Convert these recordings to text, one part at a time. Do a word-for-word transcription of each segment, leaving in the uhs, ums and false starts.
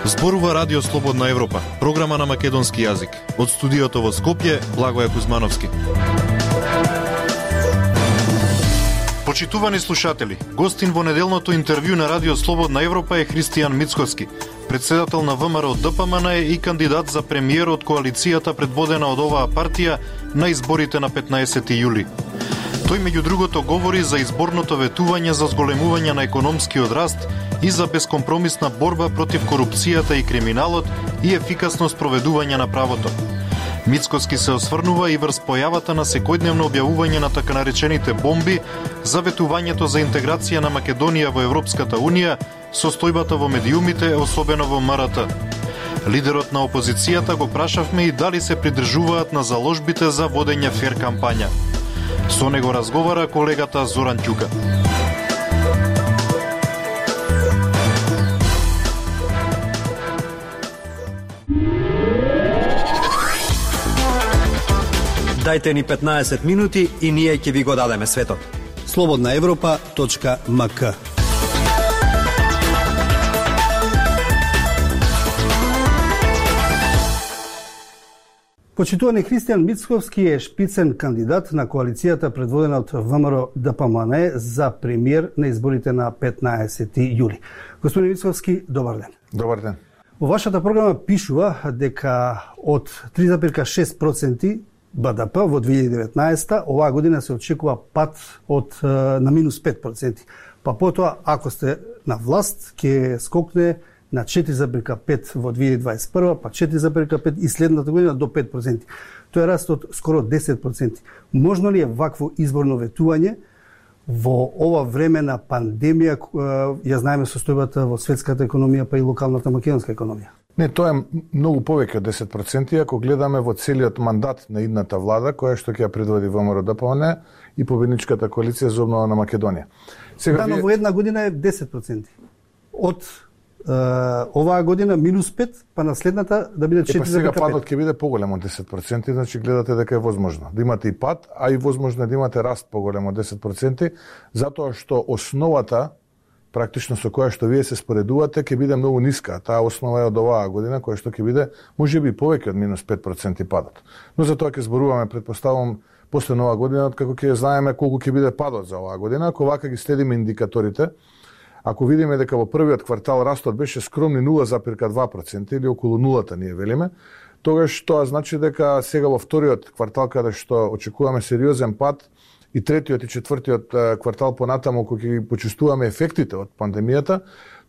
Зборува Радио Слободна Европа, програма на македонски јазик. Од студиото во Скопје, Благоје Кузмановски. Почитувани слушатели, гостин во неделното интервју на Радио Слободна Европа е Христијан Мицкоски, председател на ВМРО Д П М Н и кандидат за премиер од коалицијата предводена од оваа партија на изборите на петнаесети јули. Тој меѓу другото говори за изборното ветување за зголемување на економскиот раст и за бескомпромисна борба против корупцијата и криминалот и ефикасно спроведување на правото. Мицкоски се осврнува и врз појавата на секојдневно објавување на така наречените бомби за ветувањето за интеграција на Македонија во Европската Унија, состојбата во медиумите, особено во М Р Т. Лидерот на опозицијата го прашавме и дали се придржуваат на заложбите за водење фер кампања. Со него разговара колегата Зоран Ќука. Дајте ни петнаесет минути и ние ќе ви го дадеме светот. слободна европа точка м к. Почитувани, Христијан Мицкоски е шпицен кандидат на коалицијата предводена од ВМРО Д П М Н за премиер на изборите на петнаесети јули. Господин Мицкоски, добар ден. Добар ден. Во вашата програма пишува дека од три зарез и шест проценти Б Д П во две илјади и деветнаесета оваа година се очекува пат од на минус пет проценти. Па потоа, ако сте на власт, ќе скокне на четири зарез и пет во две илјади и дваесет и прва, па четири зарез и пет и следната година до пет проценти. Тоа е раст од скоро десет проценти. Можно ли е вакво изборно ветување во ова време на пандемија? Ја знаеме состојбата во светската економија, па и локалната македонска економија. Не, тоа е многу повеќе од десет проценти ако гледаме во целиот мандат на идната влада, која што ќе ја предводи ВМРО Д П М Н и победничката коалиција за обнова на Македонија. Сега да, но во една година е десет проценти. Од е, оваа година минус пет, па на следната да биде четири зарез и пет. Е, па сега падот ќе биде поголем од десет проценти, значи гледате дека е возможно да имате и пад, а и возможно е да имате раст поголем од десет проценти, затоа што основата практично со која што вие се споредувате ќе биде многу ниска. Таа основа е од оваа година, која што ќе биде можеби повеќе од минус пет проценти падот. Но за тоа ќе зборуваме, предпоставувам, после нова година, како ќе знаеме колку ќе биде падот за оваа година. Ако вака ги следиме индикаторите, ако видиме дека во првиот квартал растот беше скромни нула зарез и два проценти или околу нулата ние велиме, тогаш тоа значи дека сега во вториот квартал каде што очекуваме сериозен пад, и третиот и четвртиот квартал понатаму кога ќе ги почувствуваме ефектите од пандемијата,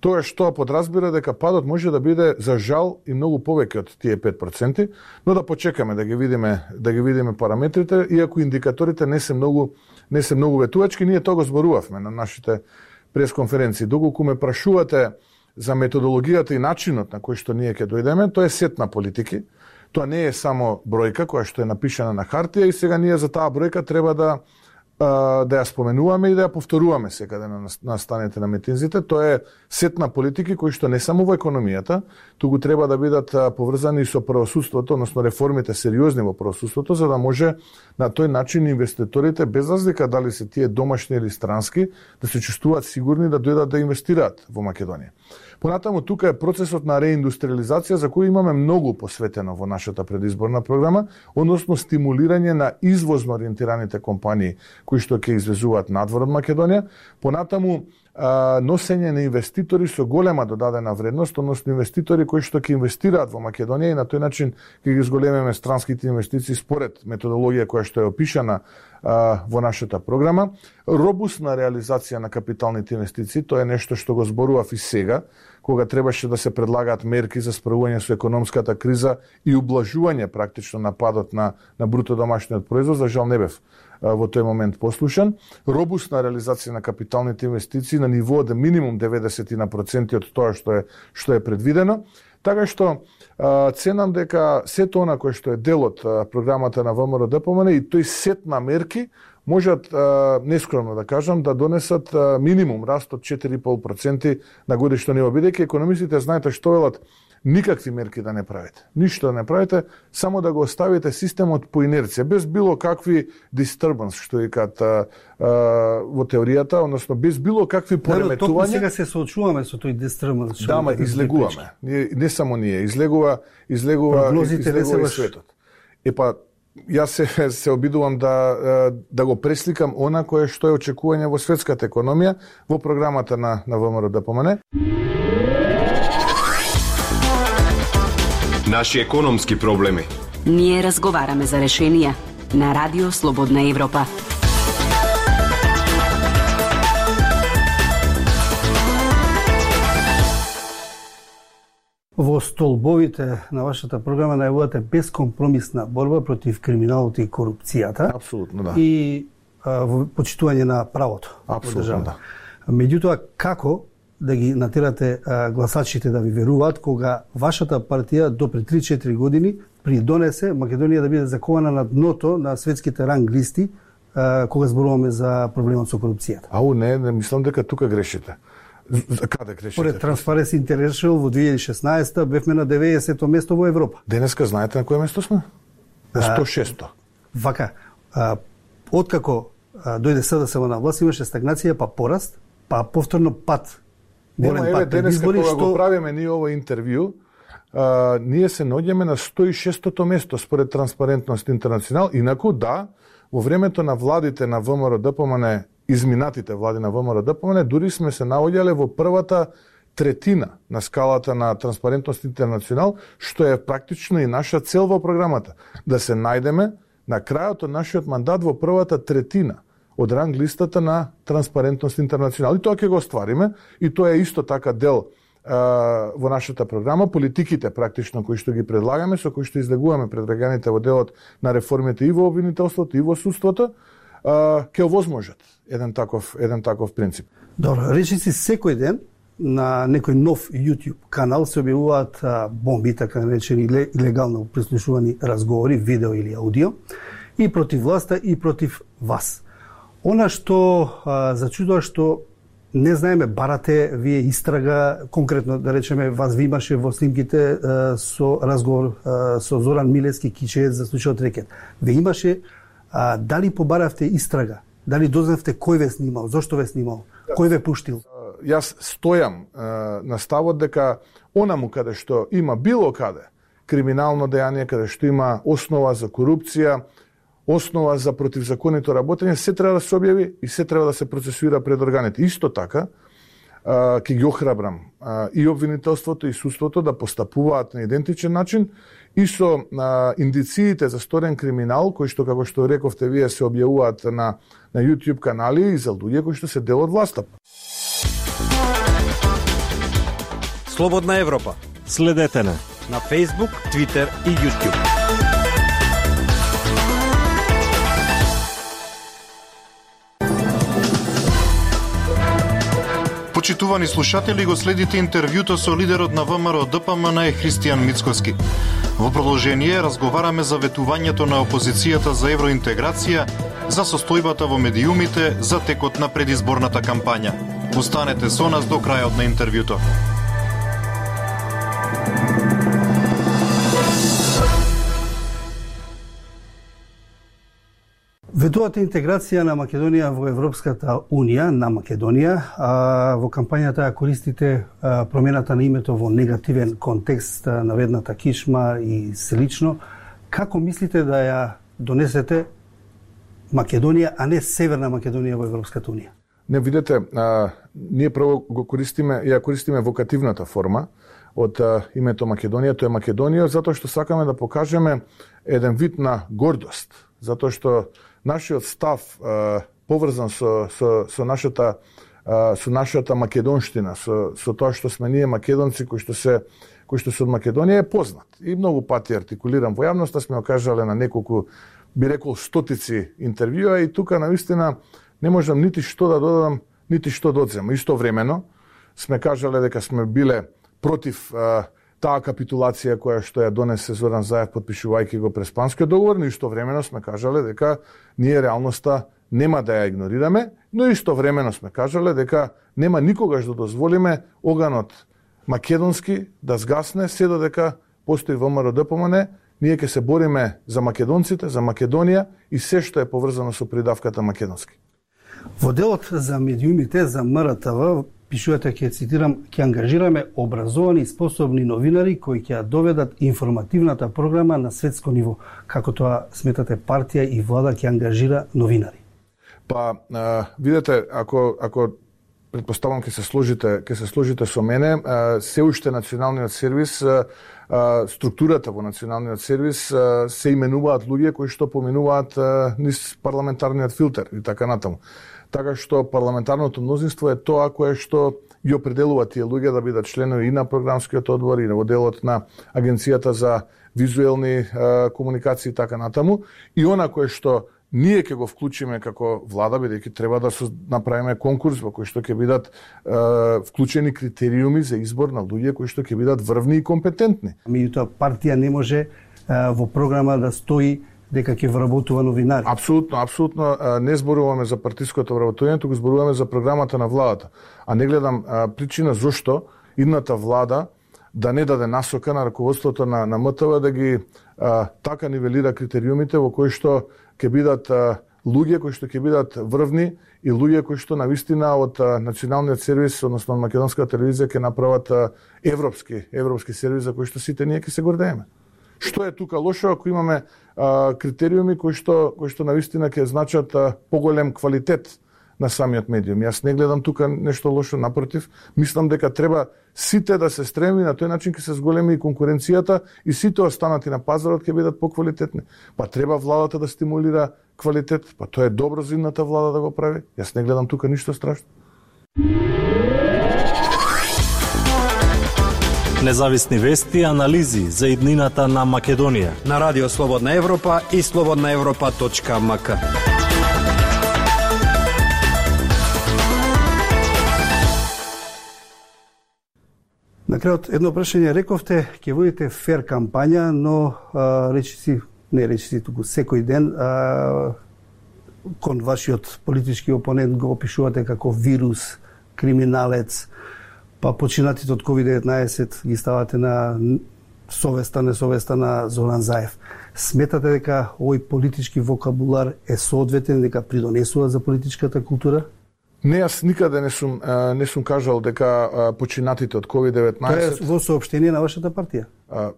тоа што подразбира дека падот може да биде за жал и многу повеќе од тие пет проценти, но да почекаме да ги видиме, да ги видиме параметрите, иако индикаторите не се многу не се многу ветувачки, ние тоа го зборувавме на нашите пресконференции. Доколку ме прашувате за методологијата и начинот на кој што ние ќе дојдеме, тоа е сет на политики. Тоа не е само бројка која што е напишана на хартија и сега ние за таа бројка треба да да ја споменуваме и да ја повторуваме секаде на, на станите на митинзите. Тоа е сет на политики кои што не само во економијата, туку треба да бидат поврзани со правосудството, односно реформите сериозни во правосудството, за да може на тој начин инвеститорите, без разлика дали се тие домашни или странски, да се чувствуваат сигурни да дојдат да инвестираат во Македонија. Понатаму тука е процесот на реиндустриализација за кој имаме многу посветено во нашата предизборна програма, односно стимулирање на извозно ориентираните компании кои што ќе извезуваат надвор од Македонија, понатаму а, носење на инвеститори со голема додадена вредност, односно инвеститори кои што ќе инвестираат во Македонија и на тој начин ќе ги зголемиме странските инвестиции според методологија која што е опишана а, во нашата програма. Робусна реализација на капиталните инвестиции, тоа е нешто што го зборував и сега, кога требаше да се предлагаат мерки за справување со економската криза и ублажување практично на падот на, на бруто домашниот производ, за жал не бев во тој момент послушан. Робусна реализација на капиталните инвестиции на ниво од минимум деветдесет проценти од тоа што е што е предвидено. Така што а, ценам дека сето она кој што е дел од програмата на ВМРО Д П М Н и тој сет на мерки можат а, нескромно да кажам да донесат а, минимум раст од четири и пол проценти на годишно ниво, бидејќи економистите знаете што велат, никакви мерки да не правите, ништо да не правите, само да го оставите системот по инерција, без било какви disturbance, што викаат во теоријата, односно без било какви пореметувања. Да, сега се соочуваме со тој disturbance. Да, ма излегуваме. Не, не само ние, излегува, излегува, излегува и светот. Епа, јас се, се обидувам да, да го пресликам она кое што е очекување во светската економија во програмата на, на ВМРО да помене. Наши економски проблеми. Ние разговараме за решенија на Радио Слободна Европа. Во столбовите на вашата програма најавувате безкомпромисна борба против криминалот и корупцијата. Апсолутно, да. И а, почитување на правото. Апсолутно, да. Меѓутоа, како да ги натерате а, гласачите да ви веруваат кога вашата партија до пред три-четири години придонесе Македонија да биде закована на дното на светските ранг листи а, кога зборуваме за проблемот со корупцијата? Ау, не, не мислам дека тука грешите. Каде грешите? Поред Transparency International во две илјади и шеснаесета бевме на деветдесето место во Европа. Денеска знаете на кое место сме? На сто и шесто. Вака, а, откако а, дојде СДСМ на власт имаше стагнација, па пораст, па повторно пат. Нема, еве, денеска кога што... го правиме ние ово интервју, а, ние се наоѓаме на сто и шестото место според Транспарентност Интернационал. Инаку, да, во времето на владите на ВМРО Д П М Н, изминатите влади на ВМРО Д П М Н, дури сме се наоѓале во првата третина на скалата на Транспарентност Интернационал, што е практично и наша цел во програмата. Да се најдеме на крајот од нашиот мандат во првата третина од ранг листата на Транспарентност Интернационал. И тоа ќе го оствариме, и тоа е исто така дел а, во нашата програма, политиките практично кои што ги предлагаме, со кои што излегуваме пред граѓаните во делот на реформите и во обвинителството и во судството, а, ќе овозможат еден таков, еден таков принцип. Добро, речиси секој ден на некој нов YouTube канал се објавуваат а, бомби, така наречени илегално прислушувани разговори, видео или аудио, и против власта и против вас. Она што а, зачудува што не знаеме, барате вие истрага, конкретно да речеме, вас ви имаше во снимките а, со разговор а, со Зоран Милевски Кичеец за случајот Рекет. Ве имаше, а, дали побаравте истрага? Дали дознавте кој ве снимал, зошто ве снимал, кој ве пуштил? Јас стојам а, на ставот дека онаму каде што има било каде криминално дејание, каде што има основа за корупција, основа за противзаконито работење, се треба да се објави и се треба да се процесуира пред органите. Исто така, ќе ги охрабрам а, и обвинителството и судството да постапуваат на идентичен начин и со а, индициите за сторен криминал, кои што, како што рековте вие, се објавуваат на, на YouTube канали и за луѓе кои што се дел од власта. Слободна Европа. Следете на на Facebook, Twitter и YouTube. Почитувани слушатели, го следите интервјуто со лидерот на ВМРО Д П М Н Христијан Мицкоски. Во продолжение разговараме за ветувањето на опозицијата за евроинтеграција, за состојбата во медиумите, за текот на предизборната кампања. Останете со нас до крајот на интервјуто. Ветувате интеграција на Македонија во Европската Унија, на Македонија, а во кампањата ја користите а, промената на името во негативен контекст, а, наведната кишма и слично. Како мислите да ја донесете Македонија, а не Северна Македонија во Европската Унија? Не, видете, а, ние прво го користиме, ја користиме вокативната форма од а, името Македонија, тоа е Македонија, затоа што сакаме да покажеме еден вид на гордост, затоа што нашиот став а, поврзан со, со, со нашата а, со нашата македонштина, со, со тоа што сме ние македонци кои што се кои што се од Македонија е познат. И многу пати артикулирам во јавноста, сме окажале на неколку, би рекол, стотици интервјуа и тука навистина не можам нити што да додадам, нити што да одземам. Истовремено сме кажале дека сме биле против а, таа капитулација која што ја донесе Зоран Заев подпишувајќи го Преспанскиот договор, но истовремено сме кажале дека ние реалноста нема да ја игнорираме, но истовремено сме кажале дека нема никогаш да дозволиме оганот македонски да згасне се додека постои ВМРО Д П М Н. Ние ќе се бориме за македонците, за Македонија и се што е поврзано со придавката македонски. Во делот за медиумите за М Р Т В пишувате, ќе цитирам, ќе ангажираме образовани и способни новинари кои ќе доведат информативната програма на светско ниво. Како тоа сметате партија и влада ќе ангажира новинари? Па, а, видете, ако ако претпоставам ќе се сложите, ќе се сложите со мене, а, се уште националниот сервис, а, а, структурата во националниот сервис а, се именуваат луѓе кои што поминуваат а, низ парламентарниот филтер и така натаму. Така што парламентарното мнозинство е тоа кое што ги определува тие луѓе да бидат членови и на програмскиот одбор и во делот на Агенцијата за визуелни е, комуникации и така натаму. И она кое што ние ќе го вклучиме како влада, бидејќи треба да направиме конкурс во кој што ќе бидат е, вклучени критериуми за избор на луѓе кои што ќе бидат врвни и компетентни. Меѓутоа партија не може е, во програма да стои дека ќе вработува новинари. Апсолутно, апсолутно не зборуваме за партиското вработување, туку зборуваме за програмата на владата. А не гледам а, причина зошто идната влада да не даде насока на раководството на, на М Т В да ги а, така нивелира критериумите во кои што ќе бидат а, луѓе кои што ќе бидат врвни и луѓе кои што навистина од а, националниот сервис, односно од македонската телевизија ќе направат а, европски европски сервис за кој што сите ние ќе се гордееме. Што е тука лошо ако имаме а, критериуми кои што кои што навистина ќе значат а, поголем квалитет на самиот медиум. Јас не гледам тука нешто лошо, напротив, мислам дека треба сите да се стреми, на тој начин ќе се зголеми и конкуренцијата и сите останати на пазарот ќе бидат поквалитетни. Па треба владата да стимулира квалитет, па тоа е добро за идната влада да го прави. Јас не гледам тука ништо страшно. Независни вести и анализи за иднината на Македонија на Радио Слободна Европа и слободна европа точка м к. На крајот едно прашање, рековте ќе водите фер кампања, но а, речиси, не речиси туку секој ден а, кон вашиот политички опонент го опишувате како вирус, криминалец, па починатите од ковид деветнаесет ги ставате на совеста, несовеста на Зоран Заев. Сметате дека овој политички вокабулар е соодветен, дека придонесува за политичката култура? Не, јас никаде не сум не сум кажал дека починатите од ковид деветнаесет. Тоа е во соопштение на вашата партија.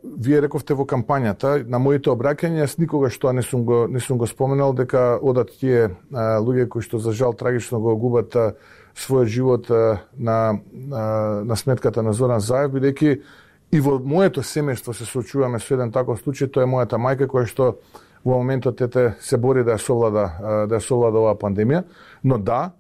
Вие рековте во кампањата, на моите обраќања, јас никогаш тоа не сум го не сум го споменал дека одат тие луѓе кои што за жал трагично го губат својот живот на, на, на сметката на Зоран Заев, бидејќи и во моето семејство се соочуваме со еден таков случај, тоа е мојата мајка која што во моментот ете се бори да ја совлада да ја совлада оваа пандемија, но да,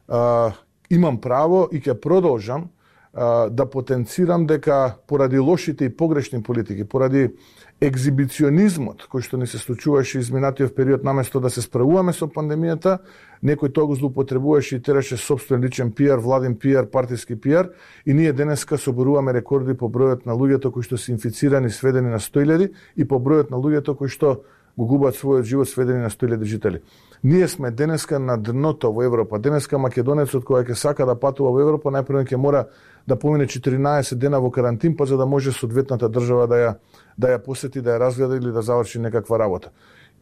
а, имам право и ќе продолжам а, да потенцирам дека поради лошите и погрешни политики, поради екзибиционизмот кој што ни се случуваше изминатиот период, наместо да се справуваме со пандемијата, некој тоа го злоупотребуваше и тераше собствен личен пиар, владин пиар, партиски пиар, и ние денеска соборуваме рекорди по бројот на луѓето кои што се инфицирани, сведени на сто илјади, и по бројот на луѓето кои што го губат својот живот, сведени на сто илјади жители. Ние сме денеска на дното во Европа. Денеска македонецот кој ќе сака да патува во Европа, најпрво ќе мора да помине четиринаесет дена во карантин, па за да може соодветната држава да ја да ја посети, да ја разгледа или да заврши некаква работа.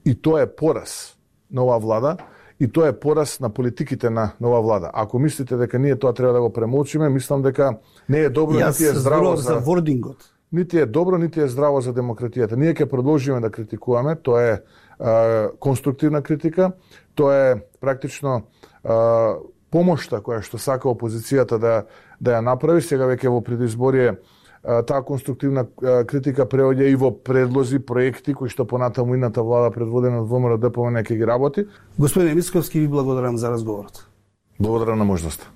И тоа е пораз на оваа влада, и тоа е пораз на политиките на нова влада. Ако мислите дека ние тоа треба да го премолчиме, мислам дека не е добро, нити е здраво за, за вордингот. Нити е добро, нити е здраво за демократијата. Ние ќе продолжиме да критикуваме, тоа е а, конструктивна критика, тоа е практично а, помошта која што сака опозицијата да да ја направи. Сега веќе во предизборие таа конструктивна критика преоѓа и во предлози, проекти кои што понатаму идната влада предводена од ВМРО Д П М Н ќе ги работи. Господине Мицковски, ви благодарам за разговорот. Благодарам на можноста.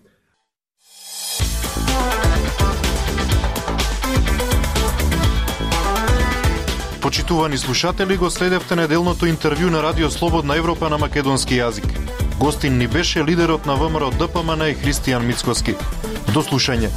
Почитувани слушатели, го следевте неделното интервју на Радио Слободна Европа на македонски јазик. Гостин ни беше лидерот на ВМРО Д П М Н Христијан Мицковски. До слушање.